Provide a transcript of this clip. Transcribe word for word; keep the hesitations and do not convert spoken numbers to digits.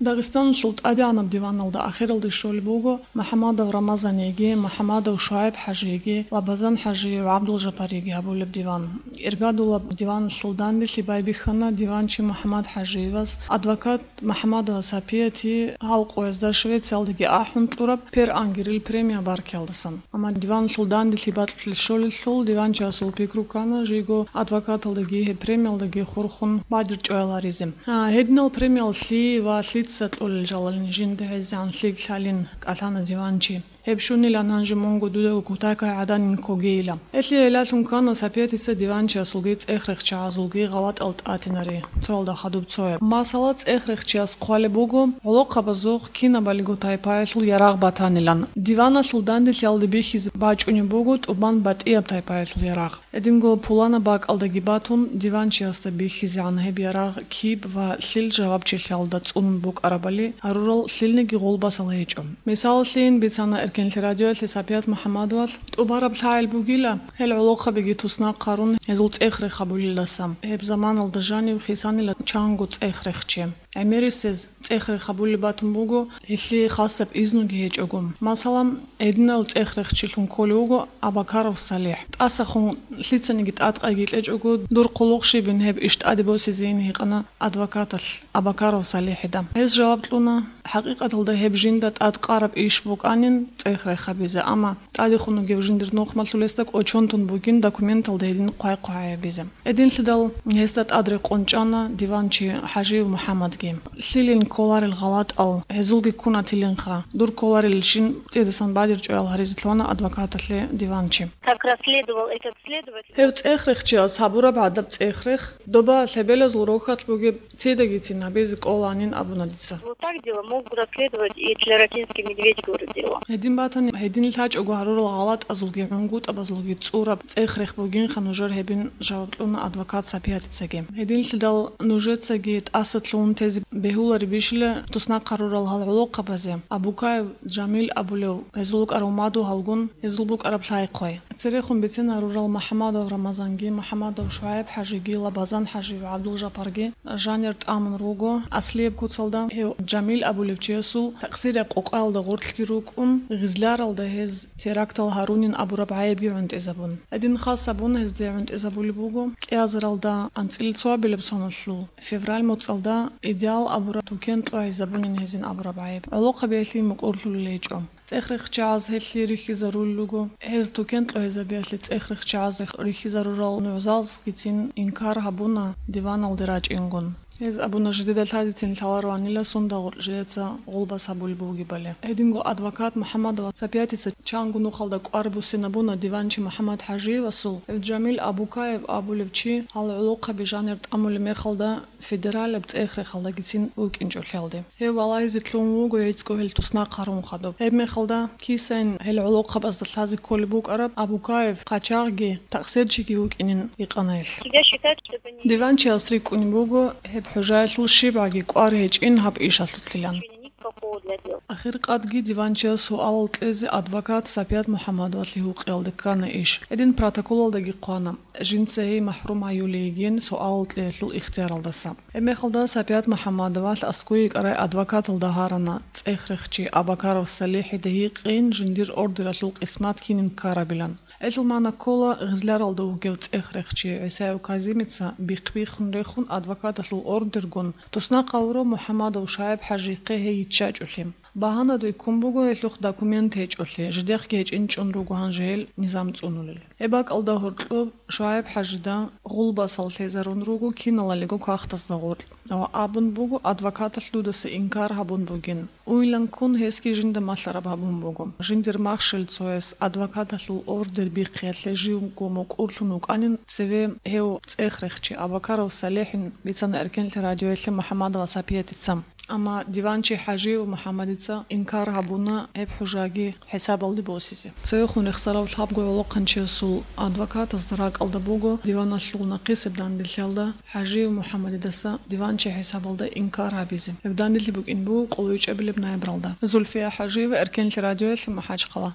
Дагъистаналъул тӀадегӀанаб диваналда ахиралде щолеб буго МухӀаммадов Рамазаниги, МухӀаммадов ШугӀайб-хӀажиги, Лабазан-хӀажи ва ГӀабдулжапариги гьабулеб диван. Иргадулаб диваналъул данделъи байбихьана диванчи МухӀаммад-хӀажиевас адвокат МухӀаммадова Сапияти гьал къоязда Швециялдаги ахӀун кьураб Пер Ангерил премия баркиялдасан. Амма диваналъул данделъи бакьулъе щолелъул, диванчиясул пикру ккана жийго адвокаталдаги гьеб премиялдаги хурхун бадир чӀваяларизе. А, гьединал премиял лъие ва лъица кьолел жалалин жинда гьезегӀан лъикӀ лъалин кӀалъана диванчи. Гьеб щунилан гьанже мунго дуда кутакай гӀаданин ккогейила. Гьелъие гӀелалъун ккана Сапиятица диванчиясулги цӀехрехчагӀазулги гъалатӀал тӀатинари, цоялда хадуб цояб. Масала, цӀехрехчияс хъвалеб буго, гӀолохъабазухъ кинабалиго тайпаялъул ярагъ батанилан. Диваналъул данделъиялда бихьизе бачӀунеб буго тӀубан батӀияб тайпаялъул ярагъ. Гьединго пуланаб бакӀалдаги батун, диванчиясда бихьизегӀан гьеб ярагъ киб ва лъил жавабчилъиялда цӀунун букӀарабали гьарурал лъилниги гъулбасал гьечӀо. Мисаллъийин бицана Эркенлъи радиоялъе Сапият МухӀаммадовалъ: «ТӀубараб лъагӀел бугила, гьел гӀолохъабиги туснахъ гьарун, гьезул цӀехрех гьабулелдаса. Гьеб заманалда жанив хисанила чанго цӀехрехчи. ГӀемерисез цӀехрех гьабулеб батун буго, гьелъие хасаб изнуги гьечӀого. Масала, гьединал цӀехрехчилъун кколев вуго Абакаров СалихӀ. ТӀасахун лъицаниги тӀадкъайги кьечӀого, дур хъулухъ щибин гьеб иш тӀаде босизейин гьикъана адвокаталъ Абакаров СалихӀида. Гьез жаваб кьуна: ХӀакъикъаталда гьеб жинда тӀадкъараб иш букӀанин цӀехрех гьабизе, амма тӀадехун вугев жиндир нухмалъулесда кӀочон тун бугин документалда гьедин хъвай-хъвай гьабизе». Гьединлъидал гьесда тӀад рекъон чӀана диванчи ХӀажиев МухӀаммадги. Лъилин кколарел гъалатӀал, гьезулги ккунатилинха, дур кколарелщин цӀидасан бадир чӀваял гьаризе лъугьана адвокаталъе диванчи. Как расследовал этот следователь? Гьев цӀехрехчияс гьабураб гӀадаб цӀехрех, доба лъебелазул рохьалъ бугеб цидагицин гьабизе кӀоланин абуна дица. Вот так дело мог расследовать и тлератинский медведь городила. Гьедин батани, гьедин лъачӀого гьарурал гъалатӀазулги гӀунгутӀабазулги цӀураб цӀехрех бугинха нужер гьебин, жаваб кьуна адвокат Сапиятицаги. Гьединлъидал нужецаги тӀаса лъугьун тезе бегьуларебищила туснахъ гьарурал гьал гӀолохъабазе, Абукаев Жамил абулев, гьезул вукӀарав мадугьалгун, гьезул букӀараб лъай-хъвай. Церехун бицен гьарурал МухӀаммадов Рамазанги, МухӀаммадов ШугӀайб-хӀажиги, Лабазан-хӀажи ва ГӀабдулжапарги жанир тӀамун руго аслияб куцалда. Гьев Жамил абулев чиясул такъсирияб къокъаялда гъорлъги рукӀун, Гъизляралда гьез терактал гьарунин абураб гӀайибги гӀунтӀизабун. Гьедин хас гьабун гьезда гӀунтӀизабулеб буго кӀиазаралда анцӀила цоабилеб соналъул февраль моцӀалда Идеал абураб тукен кьвагьизабунин гьезин абураб гӀайиб. ГӀолохъабиялъе мукӀурлъулел гьечӀо. ЦӀехрехчагӀаз гьелъие рихьизарулел руго. Гьез тукен кьвагьизабиялъе цӀехрехчагӀаз рихьизарурал нугӀзалзгицин инкар гьабуна диваналде рачӀингун. Гьез абуна, жидеда лъазецин лъалароанила сунда гъоркь жидеца гъулбас гьабулеб бугебали. Гьединго адвокат МухӀаммадова Сапиятица чанго нухалда кӀвар буссинабуна диванчи МухӀаммад ХӀажиевасул, гьев Жамил Абукаев абулев чи гьал гӀолохъаби жанир тӀамулеб мехалда федералияб цӀехрехалдагицин вукӀинчӀолъиялде. Гьев валагьизе лъугьун вуго гӀицӀго гьел туснахъ гьарун хадуб. Гьеб мехалда кисайин гьел гӀолохъабазда лъазе кколеб букӀараб Абукаев хъачагъги такъсирчиги вукӀинин гьикъана гьелъ. Тебя считать, что это не... Диванчияс рикӀкӀунеб буго гьеб хӀужаялъул щибгӀаги кӀвар гьечӀин гьаб ишалъулъилан. Никакого для дела. Ахиркъадги диванчияс суалал кьезе адвокат Сапият МухӀаммадовалъе гьукъиялде ккана иш. Гьедин протоколалдаги хъвана. Жинца гьей махӀрум гьаюлей йигин суалал кьеялъул ихтияралдаса. Гьебмехалда Сапият МухӀаммадовалъ аскӀове йикӀарай адвокаталда гьарана, цӀехрехчи Абакаров СалихӀида гьикъин жиндир ордералъул къисмат кинин ккарабилан. Гьелъул магӀна ккола, Гъизляралда вугев цӀехрехчи ГӀисаев Казимица бихъ-биххун рехун адвокаталъул ордергун туснахъ гьавурав МухӀаммадов ШугӀайб-хӀажихъе гьей йиччачӀолъи. Багьана дой ккун буго гьелъухъ документ гьечӀолъи, жидехъги гьечӀин чӀун руго гьанже гьел низам цӀунулел. Гьеб бакӀалда гьоркьоб ШугӀайб-хӀажида гъулбасал лъезарун руго киналалиго кагътазда гъоркь ва абун буго, адвокаталъ дудаса инкар гьабун бугин. Уйилан ккун гьесги жинда малъараб гьабун буго. Жиндир махщел цояс адвокаталъул ордер бихъиялъе живго мукӀурлъун вукӀанин цеве гьев цӀехрехчи Абакаров СалихӀин бицана Эркенлъи радиоялъе МухӀаммадова Сапиятица. Амма диванчи ХӀажиев МухӀаммадица инкар гьабуна гьеб хӀужаги хӀисабалде босизе. Цевехун рехсарав лъабго гӀолохъанчиясул адвокатазда ракӀалда буго диваналъул нахъисеб данделъиялда ХӀажиев МухӀаммадидаса диванчи хӀисабалда инкар гьабизе. Гьеб данделъи букӀин буго къоло вичӀабилеб ноябралда. Зульфия ХӀажиева, Эркенлъи радиоялъе, МахӀачхъала.